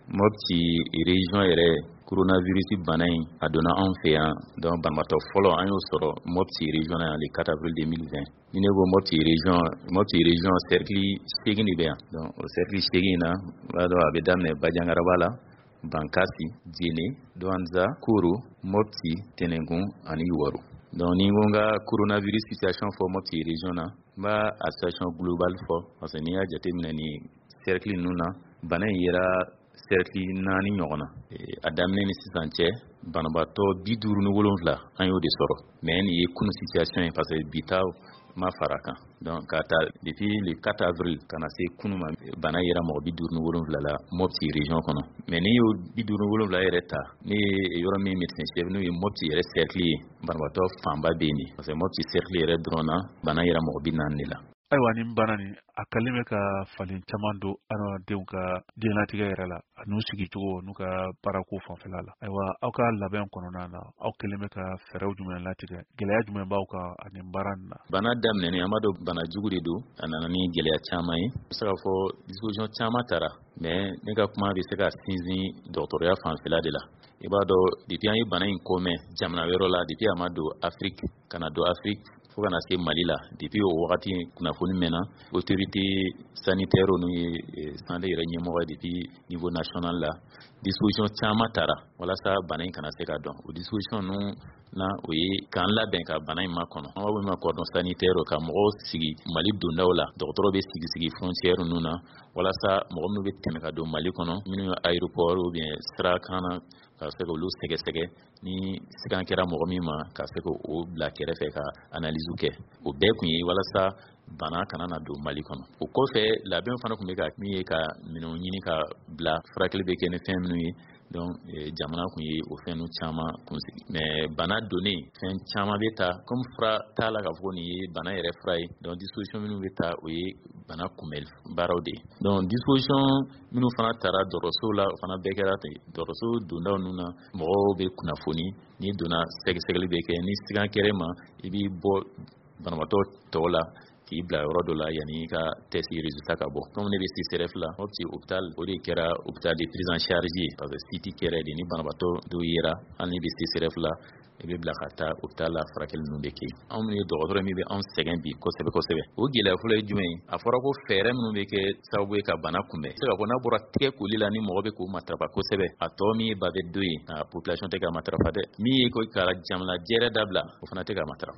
Mopti région yɛrɛ, coronavirus bana in, a donna anw fɛ yan. Donc banabaatɔ fɔlɔ, an y'o sɔrɔ Mopti région na yan le 4 avril 2020. Ni ne ko Mopti région, Mopti région cercle 8 de bɛ yan. Donc o cercle 8 in na, i b'a dɔn, a bɛ daminɛ Bajangaraba la, Bankasi, Jene, Douentza, Koro, Mopti, Tenengun ani Youwarou. Donc ni ko n ka coronavirus situation fɔ Mopti région na, n b'a a situation globale fɔ, parce que n'i y'a jateminɛ ni cercle ninnu na, bana in yera cercle naani ɲɔgɔn na. A daminɛ ni sisan cɛ, banabaatɔ 57, an y'o de sɔrɔ. Mais nin ye kunu situation ye, parce que bi ta ma fara kan. Donc ka ta depuis le 4 avril ka na se kunu ma, bana yera mɔgɔ 57 la Mopti région kɔnɔ. Mais n'i y'o 57 yɛrɛ ta, ne ye yɔrɔ min médecin chef, n'o ye Mopti yɛrɛ cercle ye, banabaatɔ fanba bɛ yen de, parce que Mopti cercle yɛrɛ dɔrɔn na, bana yera mɔgɔ 40 de la. Ayiwa, nin bana nin, a kalen bɛ ka falen caman don adamadenw ka diɲɛlatigɛ yɛrɛ la, a n'u sigicogo, n'u ka baarako fanfɛla la. Ayiwa, aw ka labɛn kɔnɔna na, aw kelen bɛ ka fɛɛrɛw jumɛn latigɛ? Gɛlɛya jumɛn b'aw kan ani baara nin na? Bana daminɛnen, an b'a dɔn bana jugu de don, a nana ni gɛlɛya caman ye. N bɛ se k'a fɔ disposition caman tara, mais ne ka kuma bɛ se ka sinsin dɔgɔtɔrɔya fanfɛla de la. I b'a dɔn, depuis an ye bana in kɔmɛ jamana wɛrɛ la, depuis a ma don Afrique ka na don Afrique fo ka na se Mali la, depuis o wagati kunnafoni mɛnna, autorité sanitaire, n'u ye santé yɛrɛ ɲɛmɔgɔ ye depuis niveau national la, disposition caman tara walasa bana in kana se ka dɔn. O disposition ninnu na, o ye k'an labɛn ka bana in makɔnɔ. An b'a fɔ min ma cordon sanitaire, ka mɔgɔw sigi Mali dondaw la. Dɔgɔtɔrɔ bɛ sigi sigi frontière ninnu na walasa mɔgɔ minnu bɛ tɛmɛ ka don Mali kɔnɔ, minnu ye aéroport ou bien sira kan na, ka se k'olu sɛgɛsɛgɛ. Ni sigan kɛra mɔgɔ min ma, ka se k'o bila kɛrɛfɛ ka analyse kɛ. O bɛɛ kun ye walasa bana kana na don Mali kɔnɔ. O kɔfɛ, labɛn fana tun bɛ ka min ye ka minɛnw ɲini ka bila, furakɛli bɛ kɛ ni fɛn minnu ye. Donc jamana kun ye o fɛn ninnu caman kunsigi. Mais bana donnen, fɛn caman bɛ ta, comme fura t'a la k'a fɔ ko nin ye bana yɛrɛ fura ye. Donc disposition minnu bɛ ta, o ye bana kunbɛli baaraw de ye. Donc disposition minnu fana tara dɔgɔtɔrɔso la, o fana bɛɛ kɛra ten. Dɔgɔtɔrɔso dondaw ninnu na, mɔgɔw bɛ kunnafoni. N'i donna, sɛgɛsɛgɛli bɛ kɛ. Ni sigan kɛra ma, i b'i bɔ banabaatɔ tɔw la k'i bila yɔrɔ dɔ la yanni i ka test résultat ka bɔ. Comme ne bɛ CSRéf la, Mopti hôpital, o de kɛra hôpital de prise en charge ye, parce que site kɛra de. Ni banabaatɔ dɔw yera, hali n'i bɛ CSRéf la, i bɛ bila ka taa hôpital la, furakɛli ninnu bɛ kɛ. Anw minnu ye dɔgɔtɔrɔ, min bɛ anw sɛgɛn bi kosɛbɛ kosɛbɛ, o gɛlɛya fɔlɔ ye jumɛn ye? A fɔra ko fɛɛrɛ minnu bɛ kɛ sababu ye ka bana kunbɛn, se ka fɔ n'a bɔra tigɛ koli la, ni mɔgɔ bɛ k'o matarafa kosɛbɛ, a tɔ min ye bavette don ye, a population tɛ ka matarafa dɛ. Min ye ko ka jamana jɛrɛ dabila, o fana tɛ ka matarafa.